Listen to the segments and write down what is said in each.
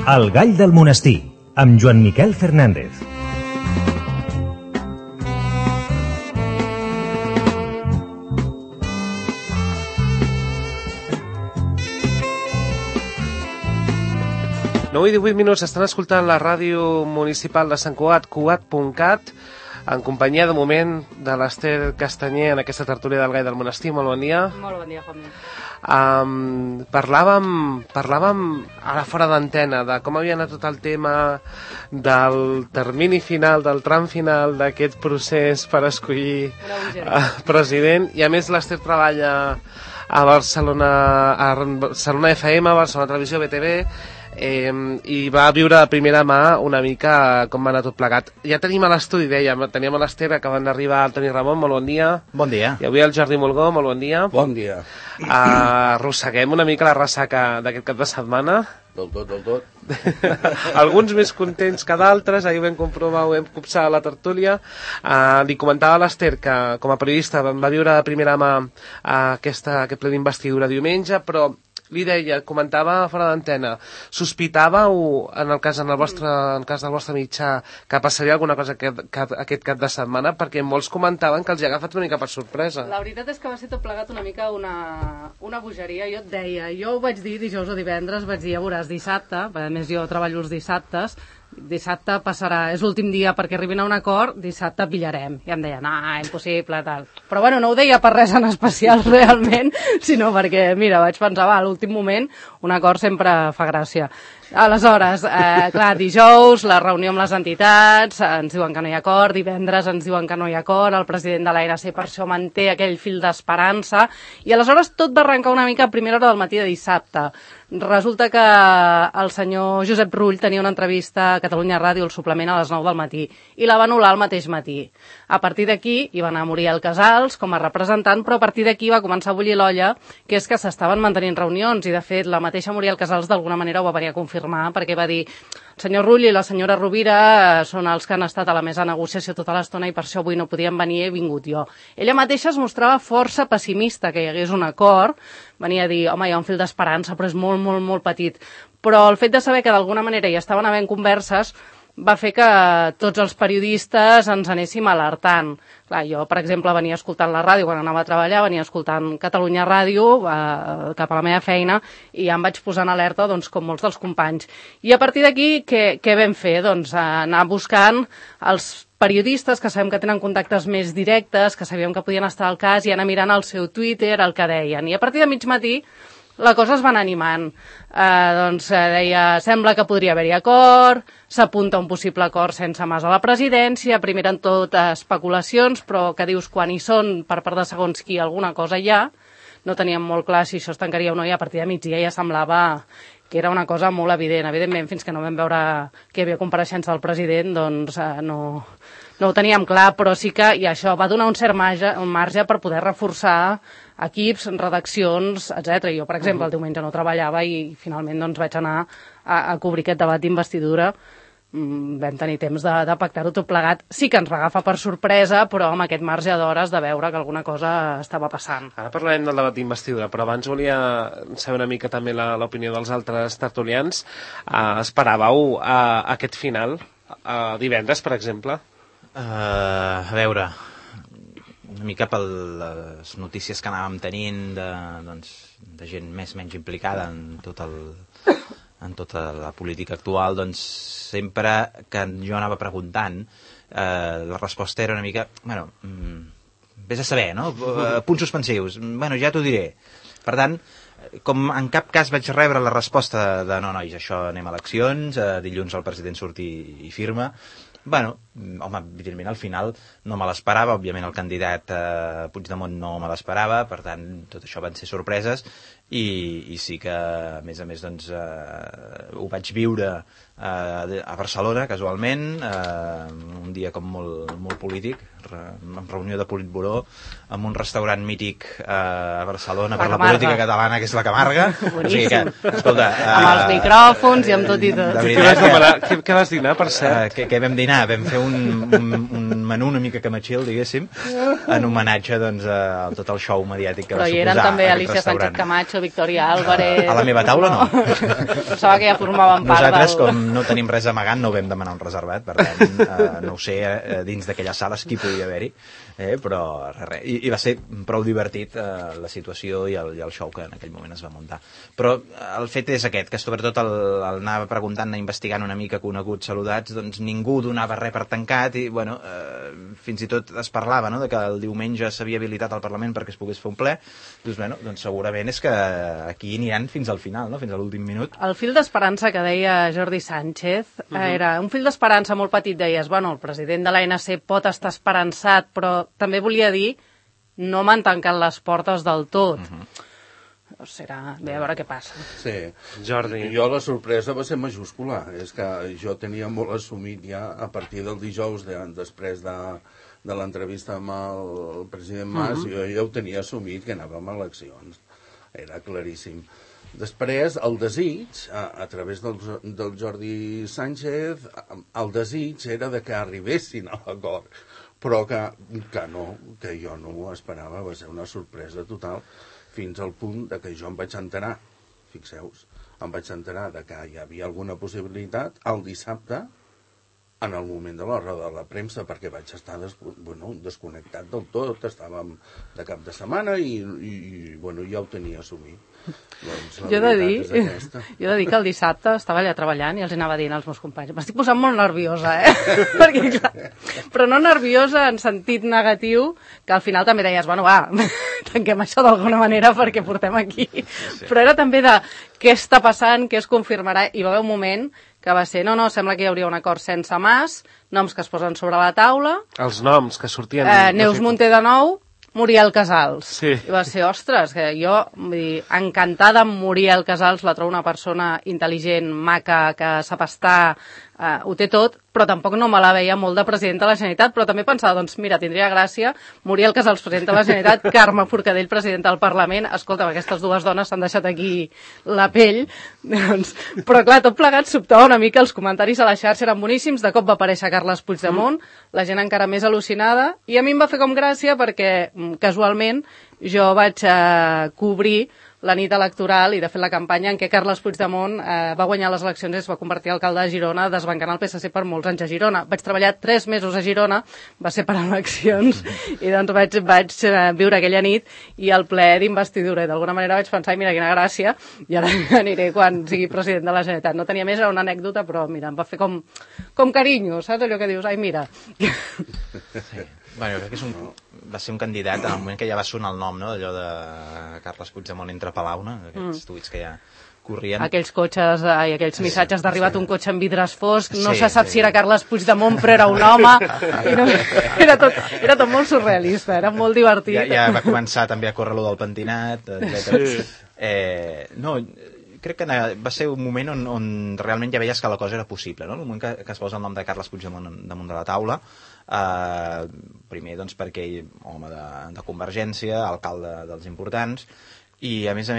El gall del monestir, amb Joan Miquel Fernández. I 18 minuts, estan escoltant la ràdio municipal de Sant Cugat, cugat.cat, en companyia de moment de l'Ester Castanyer en aquesta tertúlia del gall del monestir. Molt bon dia. Molt bon dia, Juanmi. Parlàvem ara fora d'antena de com havia anat tot el tema del termini final, del tram final d'aquest procés per escollir president, i a més l'Ester treballa a Barcelona FM, a Barcelona Televisió, BTV, i va viure de primera mà una mica com va anar tot plegat. Ja tenim a l'estudi, teníem a l'Ester, acaben d'arribar el Toni Ramon, molt bon dia. Bon dia. I avui el Jordi Molgó, molt bon dia. Bon dia. Arrosseguem una mica la ressaca d'aquest cap de setmana. Del tot. Alguns més contents que d'altres, ahir ho vam comprovar, ho vam copsar a la tertúlia. Li comentava a l'Ester que com a periodista va viure de primera mà aquest ple d'investidura diumenge, però li deia, comentava fora d'antena, sospitàveu, en el cas del vostre mitjà, que passaria alguna cosa aquest cap de setmana, perquè molts comentaven que els hi ha agafat una mica per sorpresa. La veritat és que va ser tot plegat una mica una bogeria. Jo et deia, jo ho vaig dir dijous o divendres, vaig dir, ja veuràs, dissabte, a més jo treballo els dissabtes, dissabte passarà, és l'últim dia perquè arribin a un acord, dissabte pillarem. I em deien, impossible, tal. Però bueno, no ho deia per res en especial realment, sinó perquè, mira, vaig pensar, a l'últim moment un acord sempre fa gràcia. Aleshores, clar, dijous, la reunió amb les entitats, ens diuen que no hi ha acord, divendres ens diuen que no hi ha acord, el president de l'ANC per això manté aquell fil d'esperança, i aleshores tot va arrencar una mica a primera hora del matí de dissabte. Resulta que el senyor Josep Rull tenia una entrevista a Catalunya Ràdio, el suplement, a les 9 del matí, i la va anul·lar el mateix matí. A partir d'aquí hi va anar Muriel Casals com a representant, però a partir d'aquí va començar a bullir l'olla, que és que s'estaven mantenint reunions, i de fet la mateixa Muriel Casals d'alguna manera ho va venir a confirmar, perquè va dir, el senyor Rull i la senyora Rovira són els que han estat a la mesa de negociació tota l'estona i per això avui no podien venir, he vingut jo. Ella mateixa es mostrava força pessimista que hi hagués un acord, venia a dir, home, hi ha un fil d'esperança, però és molt, molt, molt petit. Però el fet de saber que d'alguna manera hi estaven havent converses va fer que tots els periodistes ens anéssim alertant. Clar, jo, per exemple, venia escoltant la ràdio quan anava a treballar, venia escoltant Catalunya Ràdio cap a la meva feina i ja em vaig posar en alerta, doncs, com molts dels companys. I a partir d'aquí, què vam fer? Doncs anar buscant els periodistes que sabem que tenen contactes més directes, que sabíem que podien estar al cas, i anar mirant el seu Twitter, el que deien. I a partir de mig matí la cosa es va anar animant. Deia, sembla que podria haver-hi acord, s'apunta un possible acord sense Mas a la presidència, primer en tot especulacions, però que dius quan hi són per part de segons qui alguna cosa hi ha, no teníem molt clar si això es tancaria o no, i a partir de migdia ja semblava que era una cosa molt evident. Evidentment, fins que no vam veure que hi havia compareixença del president, doncs no ho teníem clar, però sí que, i això va donar un cert marge per poder reforçar equips, redaccions, etc. Jo, per exemple, el diumenge no treballava i finalment doncs, vaig anar a cobrir aquest debat d'investidura. Vam tenir temps de pactar-ho tot plegat. Sí que ens va agafar per sorpresa, però amb aquest marge d'hores de veure que alguna cosa estava passant. Ara parlarem del debat d'investidura, però abans volia saber una mica també l'opinió dels altres tertulians. Esperàveu aquest final divendres, per exemple? A veure, una mica per les notícies que anàvem tenint de gent més o menys implicada en tota la política actual, doncs sempre que jo anava preguntant, la resposta era una mica, vés a saber, no? Punts suspensius, ja t'ho diré. Per tant, com en cap cas vaig rebre la resposta de no, nois, això anem a eleccions, dilluns el president surt i firma, evidentment al final no me l'esperava, òbviament el candidat Puigdemont no me l'esperava, per tant tot això van ser sorpreses i sí que a més doncs ho vaig viure a Barcelona casualment, un dia com molt polític, en reunió de Politburó en un restaurant mític a Barcelona per la política catalana, que és la Camarga. O sigui que, escolta, amb els micròfons i amb tot i tot. Què vas dinar, per cert? Què vam dinar? Vam fer un menú una mica camatxil, diguéssim, en homenatge doncs, a tot el show mediàtic que va suposar Però hi eren també aquest Alicia restaurant. Sánchez Camacho, Victoria Álvarez... A la meva taula no. Pensava que ja formaven part Nosaltres, com no tenim res amagant, no vam demanar un reservat, per tant, no ho sé, dins d'aquelles sales qui podia haver-hi, però res. I va ser prou divertit la situació i el show que en aquell moment es va muntar. Però el fet és aquest, que sobretot el anava preguntant, investigant una mica coneguts, saludats, doncs ningú donava res per tancat i, bueno, fins i tot es parlava, no?, de que el diumenge s'havia habilitat al Parlament perquè es pogués fer un ple. Doncs, bueno, doncs segurament és que aquí aniran fins al final, no?, fins a l'últim minut. El fil d'esperança que deia Jordi Sánchez era un fil d'esperança molt petit, deies, bueno, el president de l'ANC pot estar esperançat, però també volia dir no m'han tancat les portes del tot. Serà bé, a veure què passa. Sí, Jordi. Jo la sorpresa va ser majúscula. És que jo tenia molt assumit ja a partir del dijous, després de l'entrevista amb el president Mas, jo ja ho tenia assumit que anàvem a eleccions. Era claríssim. Després, el desig, a través del Jordi Sánchez, el desig era de que arribessin a l'acord, però que no, que jo no ho esperava, va ser una sorpresa total, fins al punt de que jo em vaig enterar, fixeu-vos, em vaig enterar de que hi havia alguna possibilitat el dissabte, en el moment de la roda de la premsa, perquè vaig estar desconnectat del tot, estàvem de cap de setmana i ja ho tenia assumit. Doncs jo he de dir que el dissabte estava allà treballant i els anava dient als meus companys, m'estic posant molt nerviosa, perquè, clar, però no nerviosa en sentit negatiu, que al final també deies, bueno, va, tanquem això d'alguna manera perquè portem aquí, però era també de què està passant, què es confirmarà, i va haver un moment que va ser, no, sembla que hi hauria un acord sense Mas, noms que es posen sobre la taula. Els noms que sortien... Neus Munté de nou, Muriel Casals. Sí. I va ser, ostres, que jo, vull dir, encantada amb Muriel Casals, la trobo una persona intel·ligent, maca, que sap estar, ho té tot, però tampoc no me la veia molt de presidenta de la Generalitat, però també pensava, doncs mira, tindria gràcia, Muriel Casals, presidenta de la Generalitat, Carme Forcadell, presidenta del Parlament, escolta, aquestes dues dones s'han deixat aquí la pell, doncs, però clar, tot plegat sobtava una mica, els comentaris a la xarxa eren boníssims, de cop va aparèixer Carles Puigdemont, la gent encara més al·lucinada, i a mi em va fer com gràcia perquè, casualment, jo vaig cobrir la nit electoral i de fet la campanya en què Carles Puigdemont va guanyar les eleccions i es va convertir en alcalde de Girona, desbancant el PSC per molts anys a Girona. Vaig treballar 3 mesos a Girona, va ser per eleccions, i doncs vaig viure aquella nit i el ple d'investidura. I d'alguna manera vaig pensar, mira, quina gràcia, i ara aniré quan sigui president de la Generalitat. No tenia més, era una anècdota, però mira, em va fer com carinyo, saps allò que dius? Ai, mira. Sí. Bueno, crec que va ser un candidat en el moment que ja va sonar el nom, no?, allò de Carles Puigdemont entre Palau, no?, aquests tuits que ja corrien. Aquells cotxes, aquells missatges d'arribat un cotxe amb vidres foscs, no se sap si era Carles Puigdemont però era un home, i no, era tot molt surrealista, era molt divertit. Ja va començar també a córrer lo del pentinat, etc. No, crec que va ser un moment on realment ja veies que la cosa era possible, no? El moment que es posa el nom de Carles Puigdemont damunt de la taula, primer doncs perquè home de Convergència, alcalde dels importants, i a més,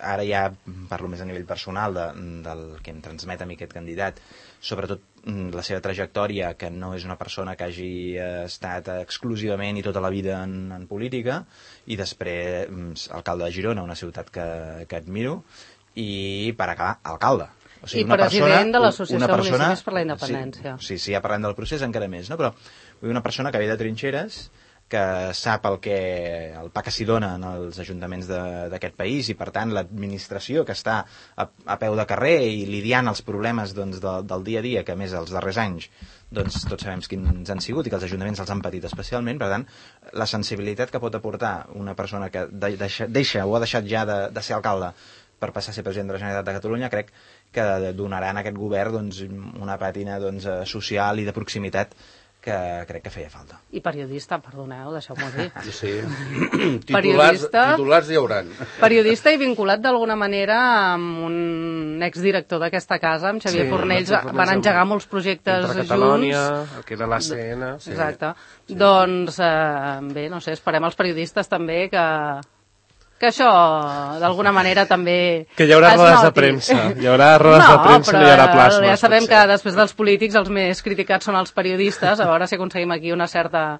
ara ja parlo més a nivell personal del que em transmet a mi aquest candidat, sobretot la seva trajectòria, que no és una persona que hagi estat exclusivament i tota la vida en política, i després alcalde de Girona, una ciutat que admiro, i per acabar, alcalde. O sigui, i president de l'Associació de Municipis per la Independència. Sí, ja parlem del procés encara més, no? Però una persona que ve de trinxeres, que sap el pa que s'hi dona en els ajuntaments d'aquest país, i per tant l'administració que està a peu de carrer i lidiant els problemes doncs, del dia a dia, que a més els darrers anys doncs, tots sabem quins han sigut i que els ajuntaments els han patit especialment. Per tant, la sensibilitat que pot aportar una persona que deixa o ha deixat ja de ser alcalde per passar a ser president de la Generalitat de Catalunya, crec que donaran a aquest govern doncs, una pàtina doncs, social i de proximitat que crec que feia falta. I periodista, perdoneu, deixeu-m'ho dir. Sí, titulars hi hauran. Periodista i vinculat d'alguna manera amb un exdirector d'aquesta casa, amb Xavier Fornells, van engegar molts projectes junts. Catalònia, el que era l'ACN. Exacte. Doncs, bé, no sé, esperem els periodistes també que que això, d'alguna manera, també Que hi haurà es rodes de noti. premsa. Hi haurà rodes de premsa, no hi haurà plasmes. Ja sabem potser. que després dels polítics els més criticats són els periodistes, a veure si aconseguim aquí una certa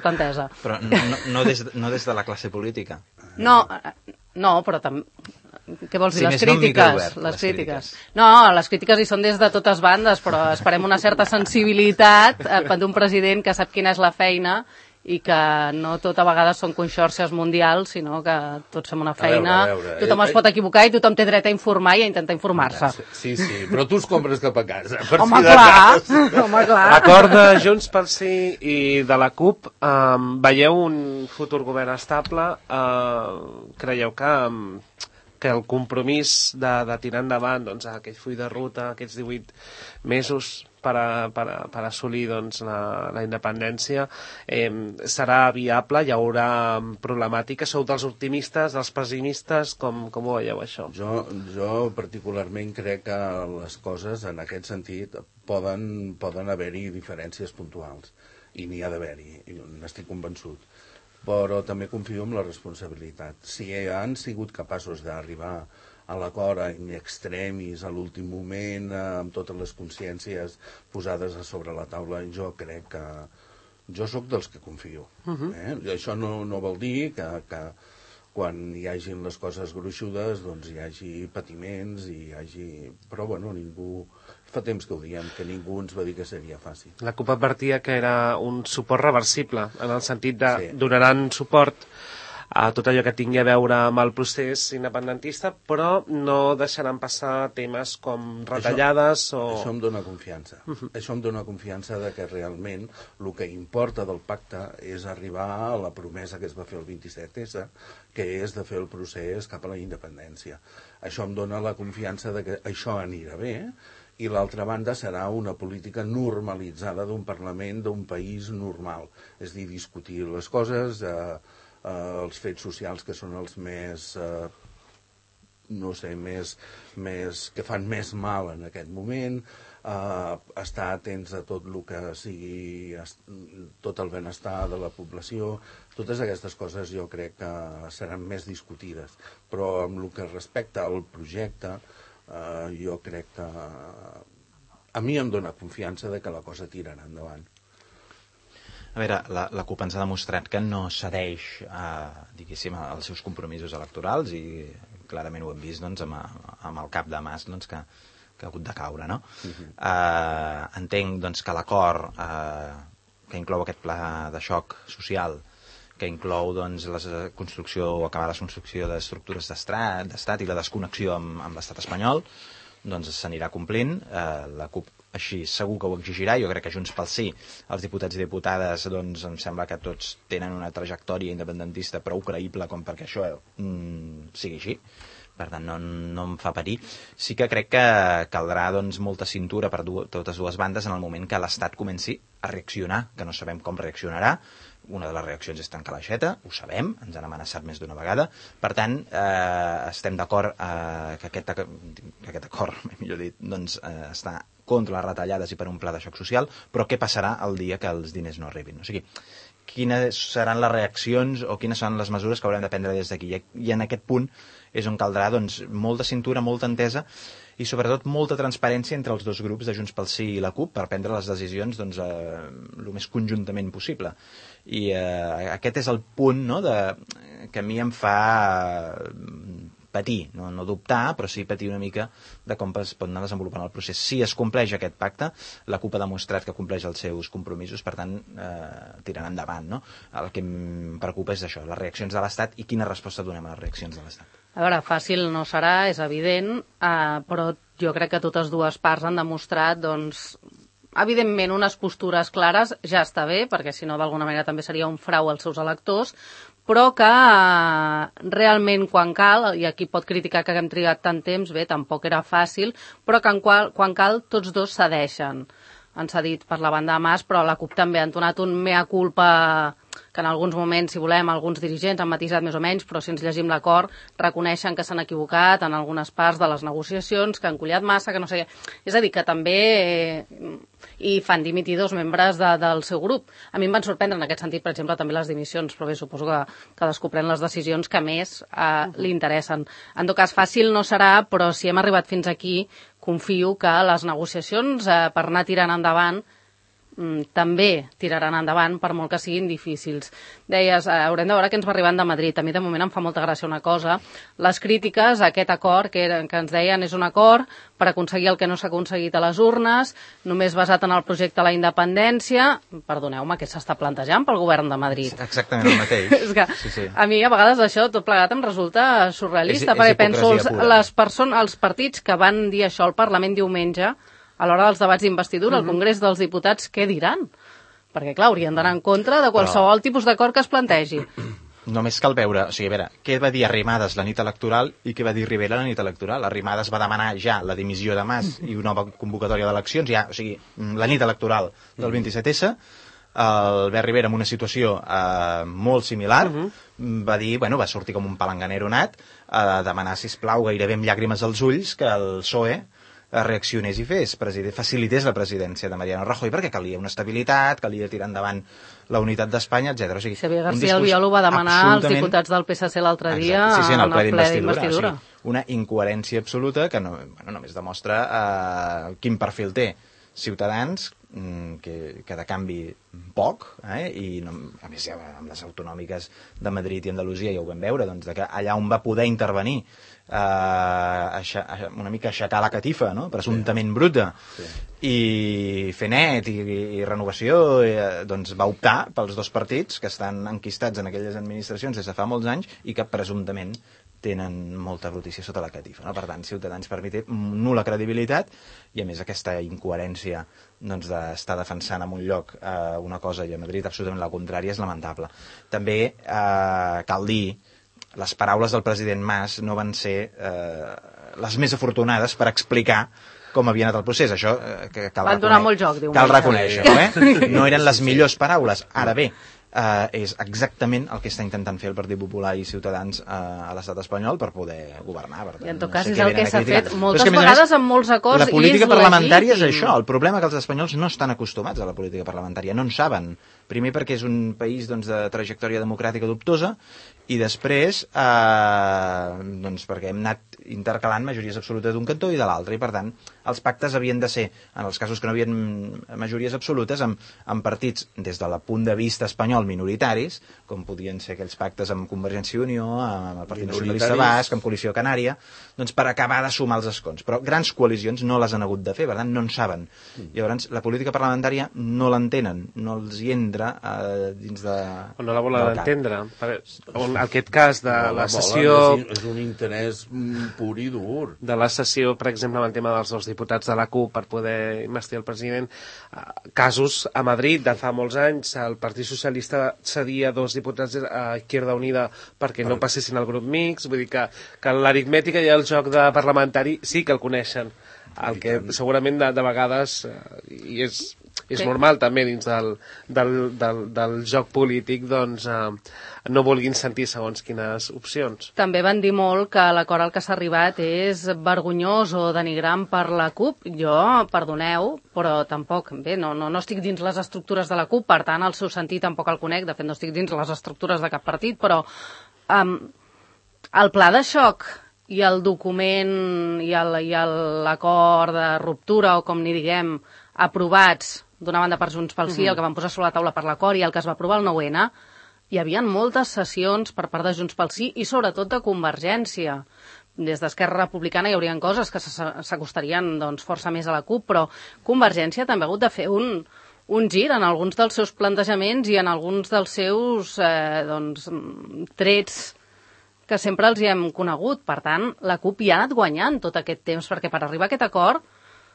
entesa. Però no des de la classe política. No, però també... Què vols dir? Sí, Les més no un crítiques. microobert, Les les crítiques. crítiques. No, les crítiques hi són des de totes bandes, però esperem una certa sensibilitat d'un president que sap quina és la feina i que no tot a vegades són conxorxes mundials, sinó que tots fem una feina, a veure. tothom es pot equivocar i tothom té dret a informar i a intentar informar-se. Sí, però tu es compres cap a casa. Home, clar! Home, clar! L'acord de Junts pel Sí i de la CUP, veieu un futur govern estable? Creieu que el compromís de tirar endavant doncs, aquell full de ruta, aquests 18 mesos per assolir doncs, la independència, serà viable? Hi haurà problemàtica? Sou dels optimistes, dels pessimistes? Com ho veieu, això? Jo particularment crec que les coses, en aquest sentit, poden haver-hi diferències puntuals. I n'hi ha d'haver-hi, n'estic convençut. Però també confio en la responsabilitat. Si han sigut capaços d'arribar a l'acord in extremis, a l'últim moment, amb totes les consciències posades a sobre la taula, jo crec que... Jo sóc dels que confio. Això no vol dir que quan hi hagin les coses gruixudes doncs hi hagi patiments, però bueno, ningú... Fa temps que ho diem, que ningú ens va dir que seria fàcil. La CUP advertia que era un suport reversible, en el sentit de Sí. donaran suport a tot allò que tingui a veure amb el procés independentista, però no deixaran passar temes com retallades Això em dóna confiança. Això em dóna confiança de que realment el que importa del pacte és arribar a la promesa que es va fer el 27S, que és de fer el procés cap a la independència. Això em dóna la confiança de que això anirà bé, i l'altra banda serà una política normalitzada d'un Parlament, d'un país normal. És a dir, discutir les coses, els fets socials que són els més, que fan més mal en aquest moment, estar atents a tot el que sigui, tot el benestar de la població. Totes aquestes coses jo crec que seran més discutides. Però amb el que respecta al projecte, jo crec que a mi em dóna confiança de que la cosa tirarà endavant. A veure, la CUP ens ha demostrat que no cedeix diguéssim, als seus compromisos electorals i clarament ho hem vist doncs, amb el cap de Mas doncs, que ha hagut de caure, no? Entenc doncs, que l'acord que inclou aquest pla de xoc social, que inclou doncs, acabar la construcció d'estructures d'estat i la desconnexió amb l'estat espanyol, doncs s'anirà complint. La CUP així segur que ho exigirà. Jo crec que Junts pel Sí, els diputats i diputades, doncs em sembla que tots tenen una trajectòria independentista prou creïble com perquè això sigui així. Per tant, no em fa parir. Sí que crec que caldrà doncs, molta cintura per totes dues bandes en el moment que l'Estat comenci a reaccionar, que no sabem com reaccionarà. Una de les reaccions és tancar l'aixeta, ho sabem, ens han amenaçat més d'una vegada. Per tant, estem d'acord que aquest acord, millor dit, doncs, està contra les retallades i per un pla de xoc social, però què passarà el dia que els diners no arribin? O sigui, quines seran les reaccions o quines són les mesures que haurem de prendre des d'aquí? I en aquest punt és on caldrà doncs, molta cintura, molta entesa i sobretot molta transparència entre els dos grups de Junts pel Sí i la CUP per prendre les decisions doncs, el més conjuntament possible. I aquest és el punt, no, que a mi em fa patir, no dubtar, però sí patir una mica de com es pot anar desenvolupant el procés. Si es compleix aquest pacte, la CUP ha demostrat que compleix els seus compromisos, per tant, tirant endavant. No? El que em preocupa és això, les reaccions de l'Estat i quina resposta donem a les reaccions de l'Estat. A veure, fàcil no serà, és evident, però jo crec que totes dues parts han demostrat, doncs, evidentment, unes postures clares ja està bé, perquè si no, d'alguna manera també seria un frau als seus electors, però que realment quan cal, i aquí pot criticar que haguem trigat tant temps, bé, tampoc era fàcil, però que quan cal tots dos cedeixen. Han cedit per la banda de Mas, però la CUP també ha entonat un mea culpa que en alguns moments, si volem, alguns dirigents han matisat més o menys, però si ens llegim l'acord, reconeixen que s'han equivocat en algunes parts de les negociacions, que han collat massa, que no sé què. És a dir, que també i fan dimitir 2 membres del seu grup. A mi em van sorprendre en aquest sentit, per exemple, també les dimissions, però bé, suposo que cadascú pren les decisions que més li interessen. En tot cas, fàcil no serà, però si hem arribat fins aquí, confio que les negociacions per anar tirant endavant també tiraran endavant per molt que siguin difícils. Deies, haurem de veure què ens va arribant de Madrid. A mi de moment em fa molta gràcia una cosa. Les crítiques a aquest acord que ens deien és un acord per aconseguir el que no s'ha aconseguit a les urnes, només basat en el projecte de la independència. Perdoneu-me, què s'està plantejant pel govern de Madrid? Exactament el mateix. És que a mi a vegades això tot plegat em resulta surrealista, perquè penso els partits que van dir això al Parlament diumenge a l'hora dels debats d'investidura, al Congrés dels Diputats, què diran? Perquè, clar, haurien d'anar en contra de qualsevol tipus d'acord que es plantegi. Només cal veure, o sigui, a veure, què va dir Arrimadas la nit electoral i què va dir Rivera la nit electoral. Arrimadas va demanar ja la dimissió de Mas i una nova convocatòria d'eleccions, ja, o sigui, la nit electoral del 27S, Albert Rivera, en una situació molt similar, va dir, bueno, va sortir com un palanganero nat, a demanar, sisplau, gairebé amb llàgrimes als ulls, que el PSOE reaccionés i facilités la presidència de Mariano Rajoy, perquè calia una estabilitat, calia tirar endavant la unitat d'Espanya, etc. O sigui, Xavier García Albiol ho va demanar als diputats del PSC l'altre dia en el ple d'investidura. O sigui, una incoherència absoluta que només demostra quin perfil té Ciutadans, que de canvi poc, i a més ja amb les autonòmiques de Madrid i Andalusia ja ho vam veure, doncs, que allà on va poder intervenir una mica aixecar la catifa, no? Presumptament bruta, i fer net i renovació, doncs va optar pels 2 partits que estan enquistats en aquelles administracions des de fa molts anys i que presumptament tenen molta brutícia sota la catifa, no? Per tant, Ciutadans per mi té nul·la credibilitat i a més aquesta incoherència doncs, d'estar defensant en un lloc una cosa i a Madrid absolutament la contrària és lamentable. També cal dir, les paraules del president Mas no van ser les més afortunades per explicar com havia anat el procés. Això van donar molt joc, diu. Cal reconèixer-ho, No eren les millors paraules. Ara bé, és exactament el que està intentant fer el Partit Popular i Ciutadans a l'estat espanyol per poder governar. Per tant, I en tot cas és el que s'ha fet moltes vegades amb molts acords. La política parlamentària és això. El problema que els espanyols no estan acostumats a la política parlamentària, no en saben. Primer perquè és un país de trajectòria democràtica dubtosa i després doncs perquè hem anat intercalant majories absolutes d'un cantó i de l'altre, i per tant els pactes havien de ser, en els casos que no havien majories absolutes, amb partits des del punt de vista espanyol minoritaris, com podien ser aquells pactes amb Convergència i Unió, amb el Partit Nacionalista Basc, amb Coalició Canària, doncs per acabar de sumar els escons. Però grans coalicions no les han hagut de fer, per tant no en saben. Llavors la política parlamentària no l'entenen, no els hi entra dins de... O no la volen entendre. En aquest cas de la sessió... És un interès pur i dur. De la sessió, per exemple, amb el tema dels 2 diputats de la CUP per poder investir el president, casos a Madrid de fa molts anys, el Partit Socialista cedia 2 diputats a Izquierda Unida perquè no passessin al grup mixt, vull dir que l'aritmètica i el joc de parlamentari sí que el coneixen, el que segurament de vegades i és normal també dins del joc polític, doncs no vulguin sentir segons quines opcions. També van dir molt que l'acord al que s'ha arribat és vergonyós o denigrant per la CUP. Jo, perdoneu, però tampoc, bé, no estic dins les estructures de la CUP, per tant el seu sentit tampoc el conec, de fet no estic dins les estructures de cap partit, però el pla de xoc i el document i l'acord de ruptura, o com n'hi diguem, aprovats d'una banda per Junts pel Sí, el que van posar sobre la taula per l'acord i el que es va aprovar el 9-N, hi havia moltes sessions per part de Junts pel Sí i sobretot de Convergència. Des d'Esquerra Republicana hi haurien coses que s'acostarien doncs, força més a la CUP, però Convergència també ha hagut de fer un gir en alguns dels seus plantejaments i en alguns dels seus trets que sempre els hi hem conegut. Per tant, la CUP hi ha anat guanyant tot aquest temps, perquè per arribar a aquest acord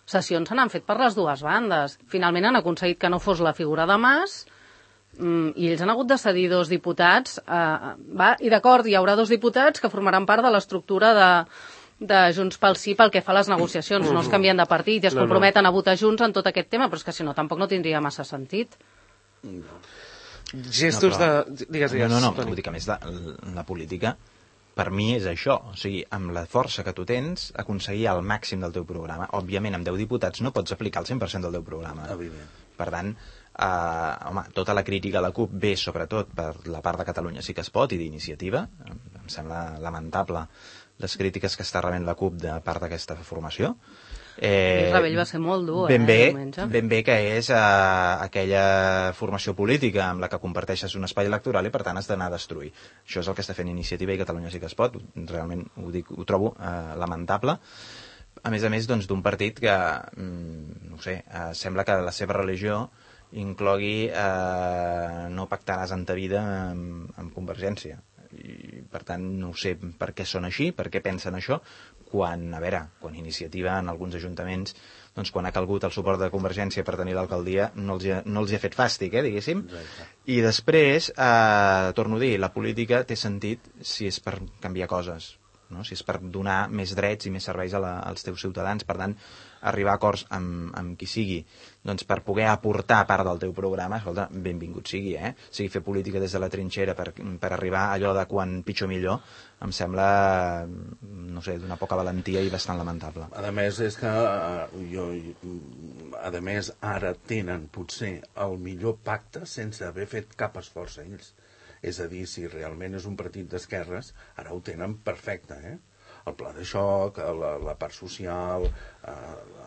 sessions se n'han fet per les 2 bandes. Finalment han aconseguit que no fos la figura de Mas i ells han hagut de cedir 2 diputats. I d'acord, hi haurà 2 diputats que formaran part de l'estructura de Junts pel Sí pel que fa a les negociacions. No es canvien de partit i es comprometen a votar junts en tot aquest tema, però és que si no tampoc no tindria massa sentit. Gestos de... Digues. No, vull dir que a més la política, per mi és això, o sigui, amb la força que tu tens, aconseguir el màxim del teu programa. Òbviament, amb 10 diputats no pots aplicar el 100% del teu programa. Per tant, home, tota la crítica a la CUP ve sobretot per la part de Catalunya Sí que es pot i d'Iniciativa. Em sembla lamentable les crítiques que està rebent la CUP de part d'aquesta formació. El rebell va ser molt dur, ben diumenge. Ben bé que és aquella formació política amb la que comparteixes un espai electoral i per tant has d'anar a destruir. Això és el que està fent Iniciativa i Catalunya Sí que es pot. Realment ho trobo lamentable. A més, doncs, d'un partit que, no sé, sembla que la seva religió inclogui no pactaràs en ta vida amb Convergència. I, per tant, no sé per què són així, per què pensen això, quan Iniciativa en alguns ajuntaments, doncs quan ha calgut el suport de Convergència per tenir l'alcaldia, no els hi ha fet fàstic, diguéssim. Exacte. I després, torno a dir, la política té sentit si és per canviar coses, no? Si és per donar més drets i més serveis als teus ciutadans. Per tant, arribar a acords amb qui sigui, doncs per poder aportar part del teu programa, escolta, benvingut sigui, sigui fer política des de la trinxera per arribar a allò de quan pitjor millor, em sembla, no sé, d'una poca valentia i bastant lamentable. A més, és que ara tenen potser el millor pacte sense haver fet cap esforç ells. És a dir, si realment és un partit d'esquerres, ara ho tenen perfecte, el pla de xoc, la part social...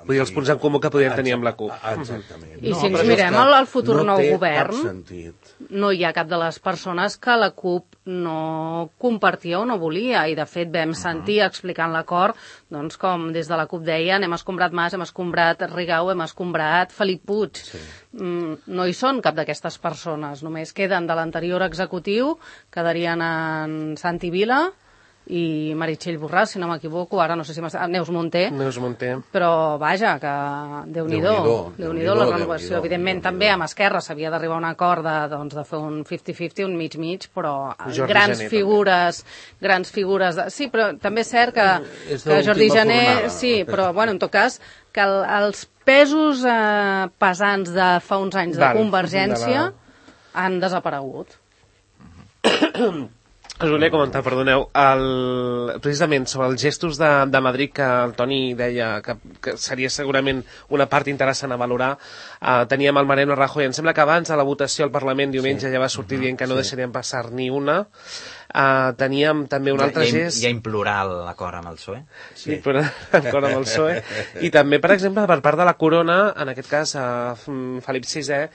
Vull dir, els punts en comú que podien tenir amb la CUP. Exactament. I si ens mirem el futur nou govern, no té cap sentit. No hi ha cap de les persones que la CUP no compartia o no volia, i de fet vam sentir explicant l'acord, doncs com des de la CUP deien, hem escombrat Mas, hem escombrat Rigau, hem escombrat Felip Puig. Sí. No hi són cap d'aquestes persones, només queden de l'anterior executiu, quedarien en Santi Vila i Meritxell Borràs, si no m'equivoco, ara no sé si Neus Munté, però vaja, que Déu-n'hi-do la renovació. Evidentment també amb Esquerra s'havia d'arribar a un acord de fer un 50-50, un mig-mig, però grans figures sí, però també és cert que Jordi Jané, sí, però bueno, en tot cas que els pesos pesants de fa uns anys de Convergència han desaparegut. Us volia comentar, perdoneu, precisament sobre els gestos de Madrid que el Toni deia que seria segurament una part interessant a valorar. Teníem el Mariano Rajoy, em sembla que abans de la votació al Parlament diumenge ja va sortir dient que no deixarien passar ni una. Teníem també un altre gest... Ja implorar l'acord amb el PSOE. Sí, però l'acord amb el PSOE. I també, per exemple, per part de la Corona, en aquest cas Felip VI,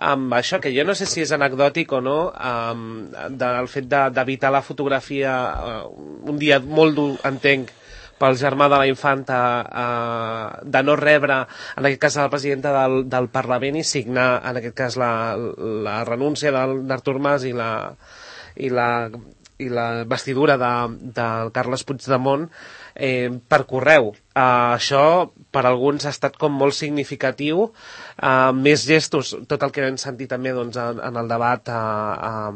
amb això, que jo no sé si és anecdòtic o no, del fet d'evitar la fotografia un dia molt dur, entenc, pel germà de la infanta, de no rebre, en aquest cas, la presidenta del Parlament i signar, en aquest cas, la renúncia d'Artur Mas i la vestidura del Carles Puigdemont per correu. Això per alguns ha estat com molt significatiu, més gestos, tot el que hem sentit també doncs, en el debat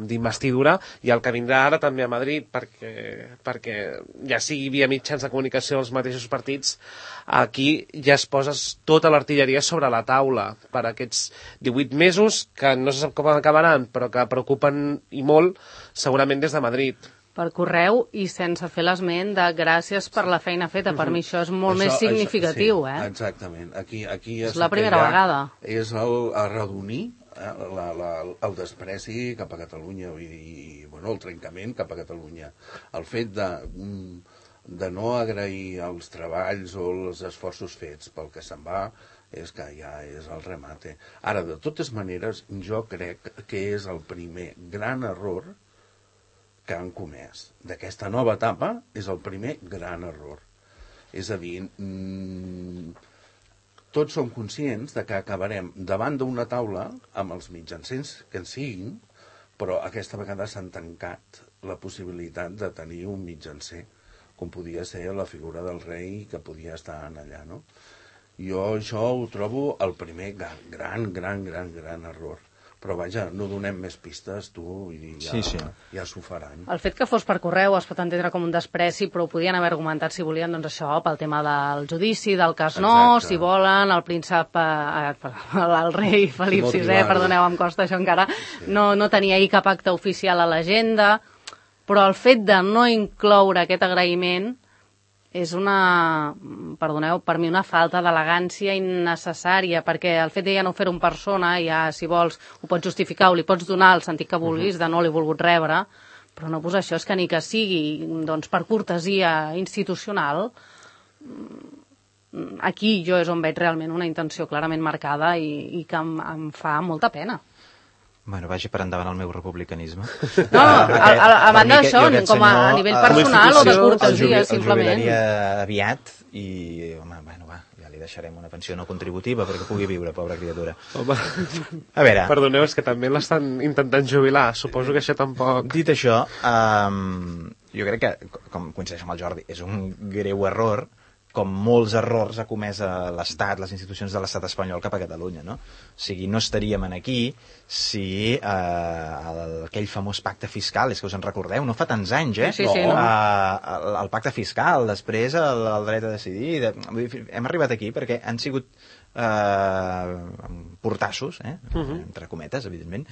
d'investidura i el que vindrà ara també a Madrid, perquè ja sigui via mitjans de comunicació dels mateixos partits, aquí ja es posa tota l'artilleria sobre la taula per aquests 18 mesos que no se sap com acabaran, però que preocupen i molt segurament des de Madrid. Per correu i sense fer l'esment de gràcies per la feina feta. Per mi això és molt més significatiu. Sí, exactament. Aquí és la primera vegada. És arredonir el despreci cap a Catalunya i el trencament cap a Catalunya. El fet de no agrair els treballs o els esforços fets pel que se'n va és que ja és el remate. Ara, de totes maneres, jo crec que és el primer gran error que han comès. D'aquesta nova etapa és el primer gran error. És a dir, tots som conscients de que acabarem davant d'una taula amb els mitjancers que en siguin, però aquesta vegada s'han tancat la possibilitat de tenir un mitjancer, com podia ser la figura del rei que podia estar allà, no? Jo això ho trobo el primer gran error. però vaja, no donem més pistes, tu, i ja s'ho faran. El fet que fos per correu es pot entendre com un despreci, però ho podien haver argumentat, si volien, doncs això, pel tema del judici, del cas no, si volen, el príncep, el rei Felip VI, perdoneu, em costa això encara, no tenia ahir cap acte oficial a l'agenda, però el fet de no incloure aquest agraïment és perdoneu, per mi una falta d'elegància innecessària, perquè el fet de ja no fer-ho en persona, ja, si vols, ho pots justificar o li pots donar el sentit que vulguis de no l'he volgut rebre, però no posar això, és que ni que sigui doncs, per cortesia institucional, aquí jo és on veig realment una intenció clarament marcada i que em fa molta pena. Bueno, vagi per endavant el meu republicanisme. No, a banda d'això, com a nivell personal o de cortesia, simplement. El jubilaria aviat i, home, bueno, va, ja li deixarem una pensió no contributiva perquè pugui viure, pobra criatura. Home, a veure... Perdoneu, és que també l'estan intentant jubilar, suposo que això tampoc... Dit això, jo crec que, com coincideix amb el Jordi, és un greu error, com molts errors ha comès l'Estat, les institucions de l'Estat espanyol cap a Catalunya, no? O sigui, no estaríem aquí si aquell famós pacte fiscal, és que us en recordeu, no fa tants anys, Sí, no. El pacte fiscal, després el dret a decidir, hem arribat aquí perquè han sigut portassos, entre cometes, evidentment,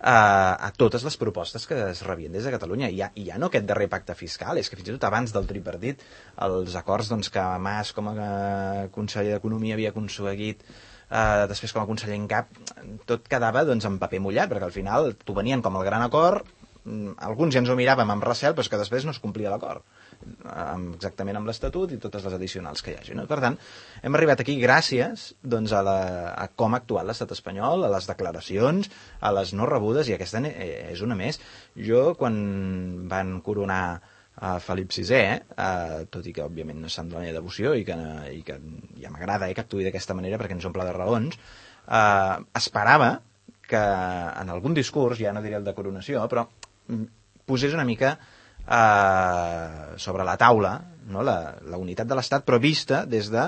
a totes les propostes que es rebien des de Catalunya. I ja no aquest darrer pacte fiscal, és que fins i tot abans del tripartit, els acords doncs, que Mas com a conseller d'Economia havia aconseguit, després com a conseller en cap, tot quedava doncs, en paper mullat, perquè al final t'ho venien com el gran acord, alguns ja ens ho miràvem amb recel, però és que després no es complia l'acord, exactament amb l'Estatut i totes les addicionals que hi hagi. No? Per tant, hem arribat aquí gràcies doncs, a com ha actuat l'Estat espanyol, a les declaracions, a les no rebudes, i aquesta és una més. Jo, quan van coronar a Felip VI, tot i que òbviament no s'han de la meva devoció i que ja m'agrada que actuï d'aquesta manera perquè ens omple de raons, esperava que en algun discurs, ja no diré el de coronació, però posés una mica sobre la taula, no? la unitat de l'Estat, però vista des de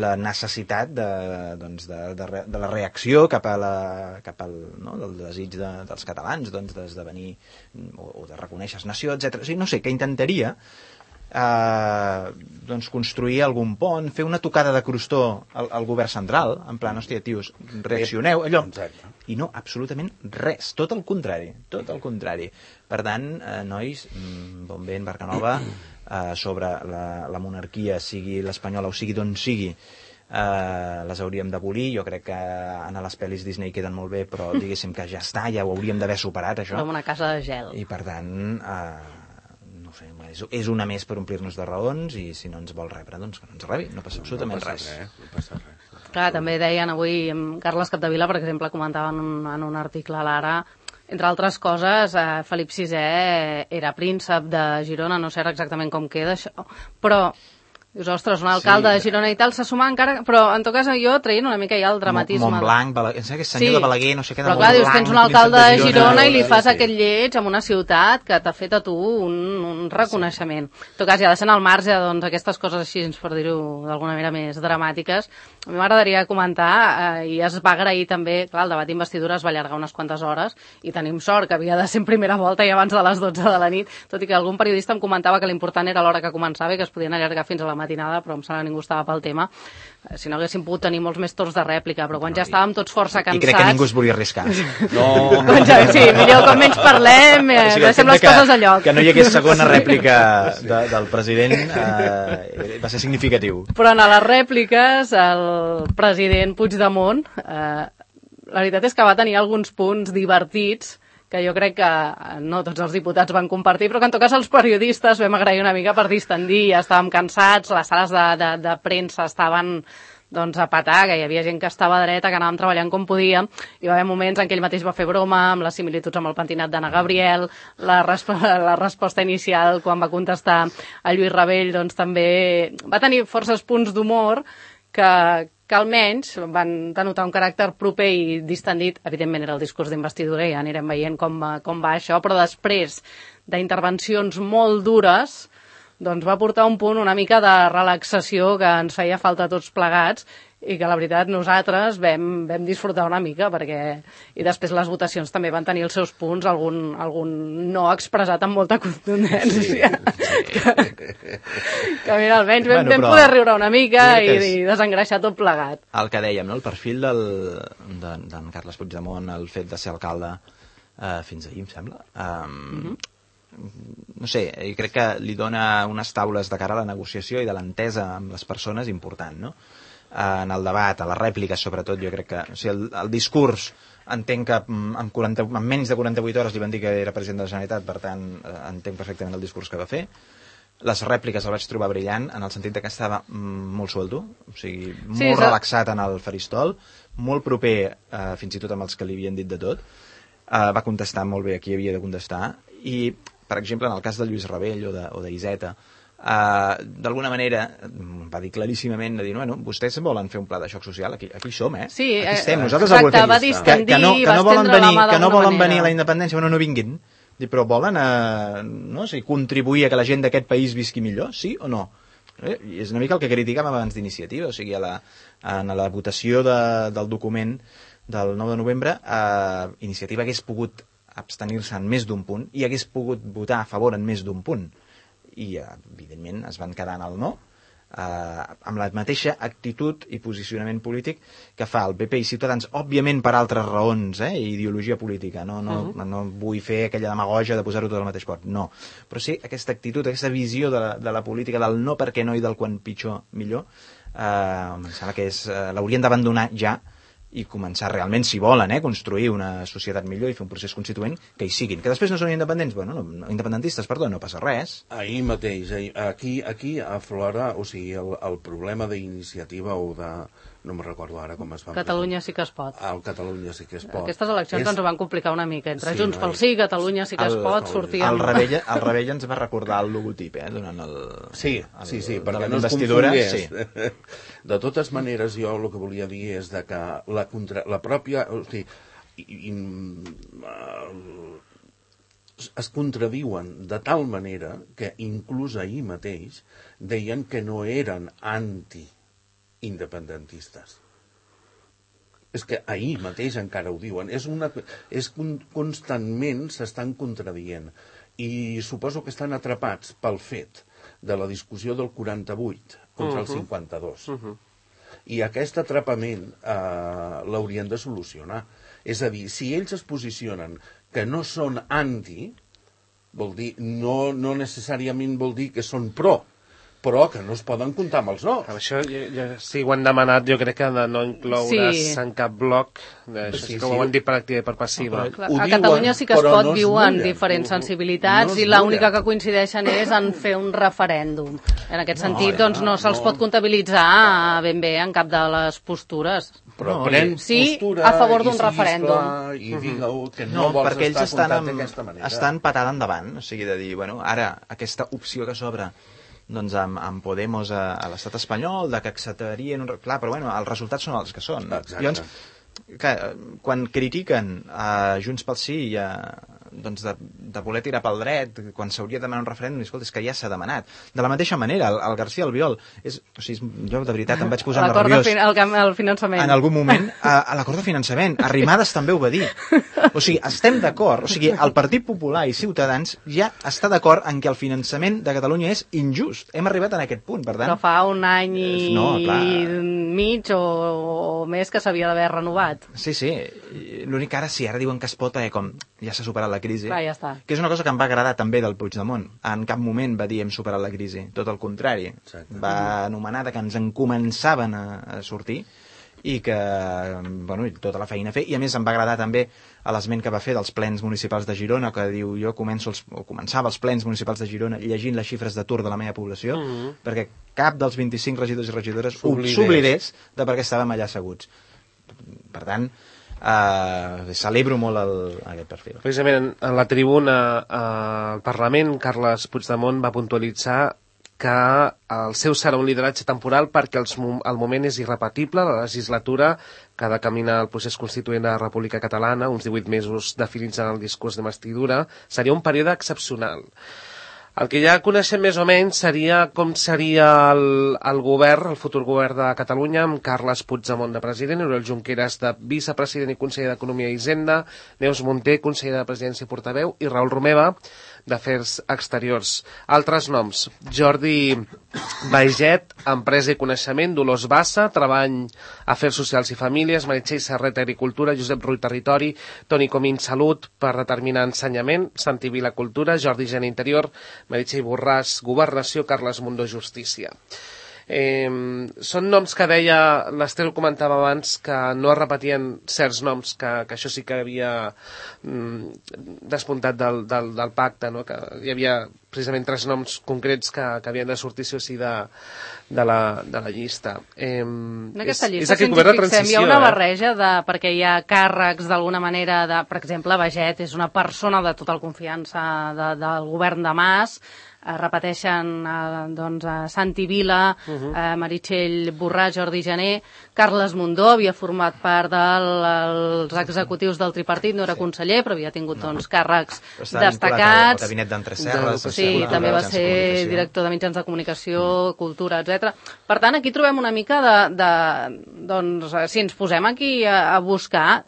la necessitat de la reacció cap al del desig dels catalans d'esdevenir o de reconèixer nació, etc. O sigui, no sé, que intentaria construir algun pont, fer una tocada de crostó al govern central, en plan, hòstia, tios, reaccioneu, allò. I no, absolutament res, tot el contrari. Per tant, nois, bon vent, barca nova, sobre la monarquia, sigui l'espanyola o sigui d'on sigui, les hauríem d'abolir. Jo crec que en les pel·lis Disney queden molt bé, però diguéssim que ja està, ja ho hauríem d'haver superat, això. Com una casa de gel. I per tant, no sé, és una més per omplir-nos de raons, i si no ens vol rebre, doncs que no ens rebi, no passa absolutament res. No passa res. Clar, també deien avui, Carles Capdevila, per exemple, comentava en un article a l'Ara, entre altres coses, Felip VI era príncep de Girona, no sé exactament com queda això, però dius, ostres, un alcalde de Girona i tal, se suma encara... Però, en tot cas, jo traient una mica ja el dramatisme... Montblanc, em sembla que és senyor de Balaguer, no sé què, de Montblanc... Però clar, dius, tens un alcalde de Girona i li fas sí. aquest lleig en una ciutat que t'ha fet a tu un reconeixement. En tot cas, ja deixant al marge, doncs, aquestes coses així, per dir-ho d'alguna manera més dramàtiques, a mi m'agradaria comentar, i es va agrair també, clar, el debat d'investidura es va allargar unes quantes hores, i tenim sort que havia de ser en primera volta i abans de les 12 de la nit, tot i que algun periodista em comentava que l'important era l'hora que començava i que es podien allargar fins a la matinada, però em sembla que ningú estava pel tema. Si no haguéssim pogut tenir molts més torns de rèplica, però quan ja estàvem tots força cansats... I crec que ningú es volia arriscar. No. Sí, millor com menys parlem, deixem les coses a lloc. Que no hi hagués segona rèplica del president va ser significatiu. Però en les rèpliques, el president Puigdemont, la veritat és que va tenir alguns punts divertits que jo crec que no tots els diputats van compartir, però que en tot cas els periodistes vam agrair una mica per distendir, ja estàvem cansats, les sales de premsa estaven doncs a petar, que hi havia gent que estava dreta, que anàvem treballant com podíem, i va haver moments en què ell mateix va fer broma amb les similituds amb el pentinat d'Anna Gabriel, la resposta inicial quan va contestar a Lluís Rabell, doncs també va tenir forces punts d'humor que almenys van denotar un caràcter proper i distendit. Evidentment era el discurs d'investidura i ja anirem veient com va això, però després d'intervencions molt dures doncs va portar un punt una mica de relaxació que ens feia falta a tots plegats i que la veritat nosaltres vam disfrutar una mica i després les votacions també van tenir els seus punts, algun no expressat amb molta contundència que mira, almenys vam poder riure una mica i desengreixar tot plegat. El que dèiem, no? El perfil d'en Carles Puigdemont, el fet de ser alcalde fins ahir, em sembla, no sé, jo crec que li dona unes taules de cara a la negociació i de l'entesa amb les persones important, no? En el debat, a les rèpliques sobretot, jo crec que el discurs entenc que en menys de 48 hores li van dir que era president de la Generalitat, per tant entenc perfectament el discurs que va fer. Les rèpliques el vaig trobar brillant en el sentit que estava molt suelto, o sigui, molt relaxat en el faristol, molt proper fins i tot amb els que li havien dit de tot, va contestar molt bé a qui havia de contestar i, per exemple, en el cas de Lluís Rabell o d'Iseta, d'alguna manera va dir claríssimament de dir, bueno, vostès volen fer un pla de xoc social, aquí som, sí, aquí estem, nosaltres el volem, que no volen venir a la independència, bueno, no vinguin, però volen contribuir a que la gent d'aquest país visqui millor, sí o no? I és una mica el que criticàvem abans d'Iniciativa, o sigui, en la votació del document del 9 de novembre, Iniciativa hagués pogut abstenir-se en més d'un punt i hagués pogut votar a favor en més d'un punt. I, evidentment, es van quedar en el no, amb la mateixa actitud i posicionament polític que fa el PP i Ciutadans, òbviament per altres raons, ideologia política, no vull fer aquella demagogia de posar-ho tot al mateix pot, no. Però sí, aquesta actitud, aquesta visió de la política, del no perquè no i del quan pitjor millor, em sembla que l'haurien d'abandonar ja i començar realment, si volen, construir una societat millor i fer un procés constituent que hi siguin. Que després no són independentistes, no passa res. Ahir mateix, aquí aflora, o sigui, el problema d'Iniciativa o de... no me'n recordo ara com es va... Catalunya sí que es pot. El Catalunya sí que es pot. Aquestes eleccions ens ho van complicar una mica. Entre Junts pel Sí, Catalunya sí que es pot, sortíem... El Rebella ens va recordar el logotip, durant el... Sí, perquè no es confongués. De totes maneres, jo el que volia dir és que la pròpia... O sigui, es contradiuen de tal manera que inclús ahir mateix deien que no eren independentistes. És que ahir mateix encara ho diuen. Constantment s'estan contradient. I suposo que estan atrapats pel fet de la discussió del 48 contra el 52. I aquest atrapament l'haurien de solucionar. És a dir, si ells es posicionen que no són anti, vol dir, no necessàriament vol dir que són pro, però que no es poden comptar amb els no. Això, si ho han demanat, jo crec que de no incloure's en cap bloc, això sí que ho han dit per activa i per passiva. A Catalunya sí que es pot, diuen diferents sensibilitats i l'única que coincideixen és en fer un referèndum. En aquest sentit, doncs no se'ls pot comptabilitzar ben bé en cap de les postures. Però pren postura a favor d'un referèndum. I digue-ho que no vols estar comptat d'aquesta manera. Estan patada endavant, o sigui, de dir, bueno, ara aquesta opció que s'obre doncs amb Podemos a l'estat espanyol, de que acceptarien... Clar, però bueno, els resultats són els que són. Exacte. Llavors, quan critiquen Junts pel Sí doncs de voler tirar pel dret quan s'hauria de demanar un referèndum, escolta, és que ja s'ha demanat. De la mateixa manera, el García Albiol, o sigui, jo de veritat em vaig posar nerviós. El finançament. En algun moment, a l'acord de finançament. Arrimadas també ho va dir. O sigui, estem d'acord. O sigui, el Partit Popular i Ciutadans ja està d'acord en que el finançament de Catalunya és injust. Hem arribat en aquest punt, per tant... Però fa un any i mig o més que s'havia d'haver renovat. Sí. L'únic que ara sí, ara diuen que es pot, com ja s'ha superat la crisi. Clar, ja està. Que és una cosa que em va agradar també del Puigdemont. En cap moment va dir hem superat la crisi. Tot el contrari. Exacte. Va anomenar que ens en començaven a sortir i que, bueno, tota la feina a fer. I a més em va agradar també l'esment que va fer dels plens municipals de Girona, que diu jo començava els plens municipals de Girona llegint les xifres d'atur de la meva població, perquè cap dels 25 regidors i regidores s'oblidés de per què estàvem allà asseguts. Per tant, celebro molt aquest perfil. Precisament en la tribuna al Parlament, Carles Puigdemont va puntualitzar que el seu serà un lideratge temporal perquè el moment és irrepetible, la legislatura que ha de caminar el procés constituent de la República Catalana, uns 18 mesos definits en el discurs d'investidura, seria un període excepcional. El que ja coneixem més o menys seria com seria el govern, el futur govern de Catalunya, amb Carles Puigdemont de president, Oriol Junqueras de vicepresident i conseller d'Economia i Hisenda, Neus Munté, conseller de Presidència i portaveu, i Raül Romeva, d'Afers Exteriors. Altres noms: Jordi Baiget, Empresa i Coneixement, Dolors Bassa, Treball, Afers Socials i Famílies, Meritxell Serret, Agricultura, Josep Rull, Territori, Toni Comín, Salut, per determinar Ensenyament, Santi Vila, Cultura, Jordi Geni, Interior, Meritxell Borràs, Governació, Carles Mundó, Justícia. Són noms que deia, l'Estel comentava abans, que no es repetien certs noms, que això sí que havia despuntat del pacte, no? Que hi havia precisament 3 noms concrets que havien de sortir sí o sí de la llista. En aquesta llista, si ens fixem, hi ha una barreja perquè hi ha càrrecs d'alguna manera, per exemple, Baiget és una persona de total confiança del govern de Mas, repeteixen Santi Vila, Meritxell Borràs, Jordi Jané, Carles Mundó havia format part dels executius del tripartit, no era conseller, però havia tingut càrrecs destacats. El gabinet d'Entreserres. Sí, també va ser director de mitjans de comunicació, cultura, etc. Per tant, aquí trobem una mica si ens posem aquí a buscar,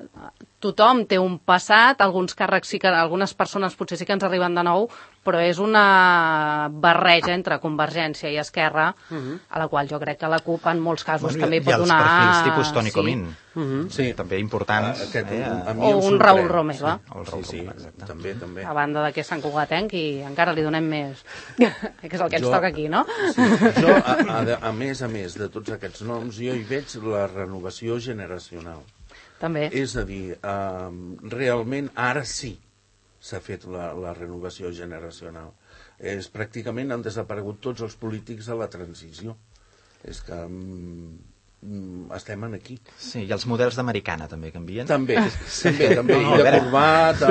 tothom té un passat, alguns càrrecs sí que, algunes persones potser sí que ens arriben de nou, però és una barreja entre Convergència i Esquerra, a la qual jo crec que la CUP en molts casos també pot donar... I els perfils tipus Toni Comín, també importants. O un Raül Romeva. Sí, també. A banda de que és Sant Cugatenc i encara li donem més, que és el que ens toca aquí, no? Jo, a més de tots aquests noms, jo hi veig la renovació generacional. També. És a dir, realment ara sí s'ha fet la renovació generacional. Pràcticament han desaparegut tots els polítics de la transició. És que estem aquí. Sí, i els models d'Americana també canvien? També. I de corbata...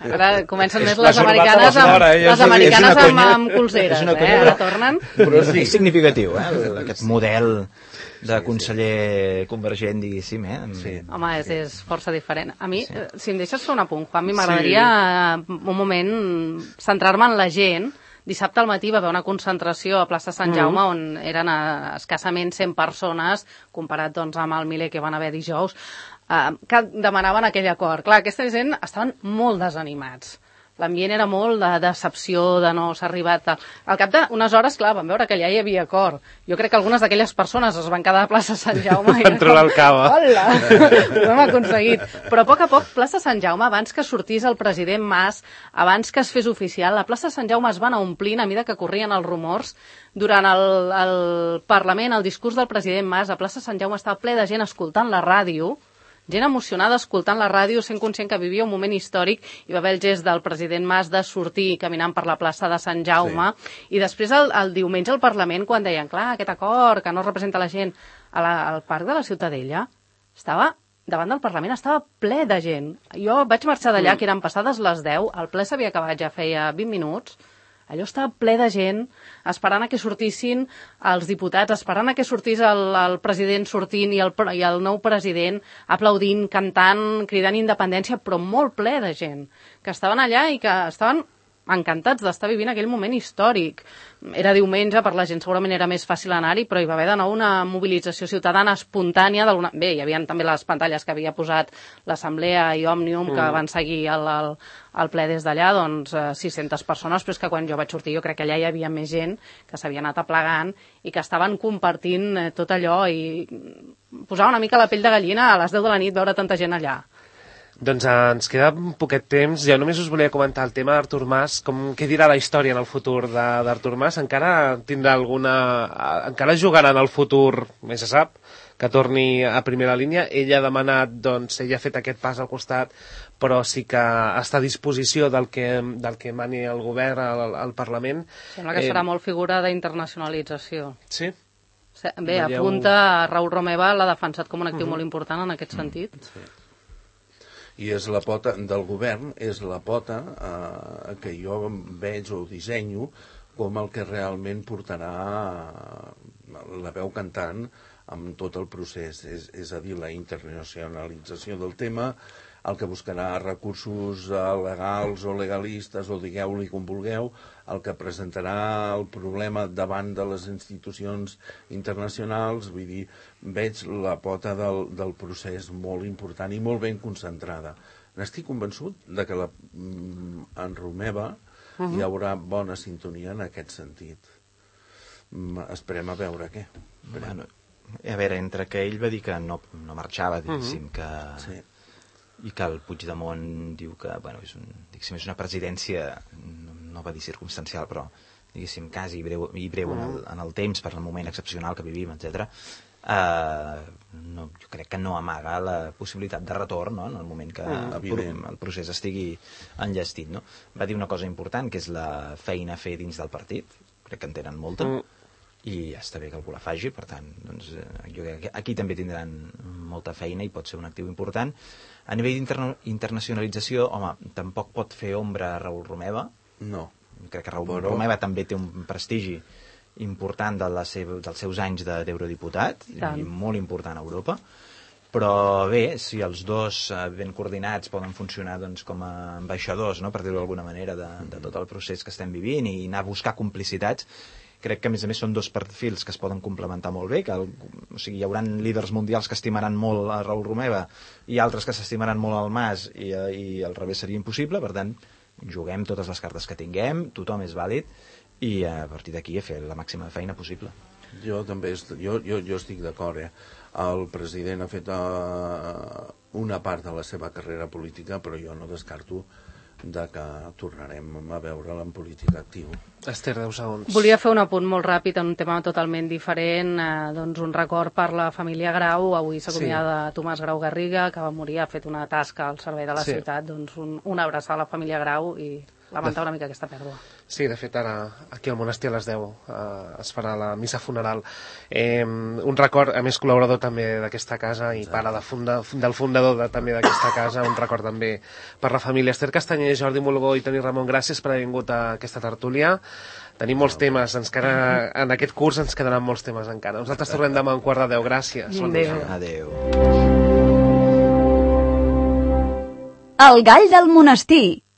Ara comencen més les americanes amb colzeres, ara tornen. Però sí. És significatiu, aquest model de conseller convergent, diguéssim, Sí. Home, és força diferent. A mi, si em deixes fer un apunt, Juan, m'agradaria un moment centrar-me en la gent. Dissabte al matí va haver una concentració a plaça Sant Jaume on eren escassament 100 persones, comparat amb el miler que van haver dijous, que demanaven aquell acord. Clar, aquesta gent estaven molt desanimats. L'ambient era molt de decepció, de no s'ha arribat... Al cap d'unes hores, clar, van veure que allà hi havia acord. Jo crec que algunes d'aquelles persones es van quedar a plaça Sant Jaume i van trobar el cava. Hola! Ho hem aconseguit. Però a poc, plaça Sant Jaume, abans que sortís el president Mas, abans que es fes oficial, la plaça Sant Jaume es va anar omplint a mesura que corrien els rumors. Durant el Parlament, el discurs del president Mas, a plaça Sant Jaume estava ple de gent escoltant la ràdio, gent emocionada escoltant la ràdio, sent conscient que vivia un moment històric, i va haver el gest del president Mas de sortir caminant per la plaça de Sant Jaume, i després el diumenge al Parlament, quan deien, clar, aquest acord que no representa la gent, al Parc de la Ciutadella, davant del Parlament estava ple de gent. Jo vaig marxar d'allà, que eren passades les 10, el ple s'havia acabat ja feia 20 minuts, allò estava ple de gent, esperant a que sortissin els diputats, esperant a que sortís el president sortint i el nou president aplaudint, cantant, cridant independència, però molt ple de gent, que estaven allà i que estaven encantats d'estar vivint aquell moment històric. Era diumenge, per la gent segurament era més fàcil anar-hi, però hi va haver de nou una mobilització ciutadana espontània. Bé, hi havia també les pantalles que havia posat l'Assemblea i Òmnium, que van seguir el ple des d'allà, 600 persones, però és que quan jo vaig sortir jo crec que allà hi havia més gent que s'havia anat aplegant i que estaven compartint tot allò, i posava una mica la pell de gallina a les 10 de la nit veure tanta gent allà. Doncs ens queda un poquet temps. Jo només us volia comentar el tema d'Artur Mas. Què dirà la història en el futur d'Artur Mas? Encara tindrà encara jugarà en el futur, més se sap, que torni a primera línia. Ell ha demanat, ell ha fet aquest pas al costat, però sí que està a disposició del que mani el govern, al Parlament. Sembla que serà molt figura d'internacionalització. Sí? Bé, apunta Raül Romeva, l'ha defensat com un actiu molt important en aquest sentit. Sí. I és la pota del govern, és la pota que jo veig o dissenyo com el que realment portarà la veu cantant amb tot el procés. És a dir, la internacionalització del tema, el que buscarà recursos legals o legalistes, o digueu-li com vulgueu, el que presentarà el problema davant de les institucions internacionals, vull dir, veig la pota del procés molt important i molt ben concentrada. N'estic convençut de que en Romeva hi haurà bona sintonia en aquest sentit. Esperem a veure què. Bueno, a veure, entre que ell va dir que no marxava, diguéssim, que... Sí. I que el Puigdemont diu que, bueno, és una presidència, no va dir circumstancial, però, diguéssim, quasi breu en el temps, per al moment excepcional que vivim, etc. Jo crec que no amaga la possibilitat de retorn, no?, en el moment que el procés estigui enllestit, no? Va dir una cosa important, que és la feina a fer dins del partit, crec que en tenen molta, i està bé que algú la faci, per tant, doncs, jo crec que aquí també tindran molta feina i pot ser un actiu important. A nivell d'internacionalització, home, tampoc pot fer ombra a Raül Romeva. No. Crec que Raül Romeva també té un prestigi important dels seus anys d'eurodiputat, i molt important a Europa. Però bé, si els dos ben coordinats poden funcionar doncs, com a ambaixadors, no?, per dir-ho d'alguna manera, de tot el procés que estem vivint i anar a buscar complicitats, crec que a més són dos perfils que es poden complementar molt bé, o sigui, hi haurà líders mundials que estimaran molt a Raül Romeva i altres que s'estimaran molt al Mas i al revés seria impossible, per tant juguem totes les cartes que tinguem, tothom és vàlid i a partir d'aquí a fer la màxima feina possible. Jo també jo estic d'acord, El president ha fet una part de la seva carrera política, però jo no descarto que tornarem a veure'l en política actiu. Esther, 10 segons. Volia fer un apunt molt ràpid en un tema totalment diferent, doncs un record per la família Grau. Avui s'acomiada Tomàs Grau Garriga, que va morir, ha fet una tasca al servei de la ciutat, doncs una abraçada a la família Grau i lamentar una mica aquesta pèrdua. Sí, de fet, ara aquí al monestir a les 10 es farà la missa funeral. Un record, a més, col·laborador també d'aquesta casa i pare del fundador també d'aquesta casa, un record també per la família. Esther Castanyer, Jordi Molgó i Toni Ramon, gràcies per haver vingut a aquesta tertúlia. Tenim molts temes, en aquest curs ens quedaran molts temes encara. Nosaltres tornem demà a 9:45. Gràcies. Adéu. El gall del monestir.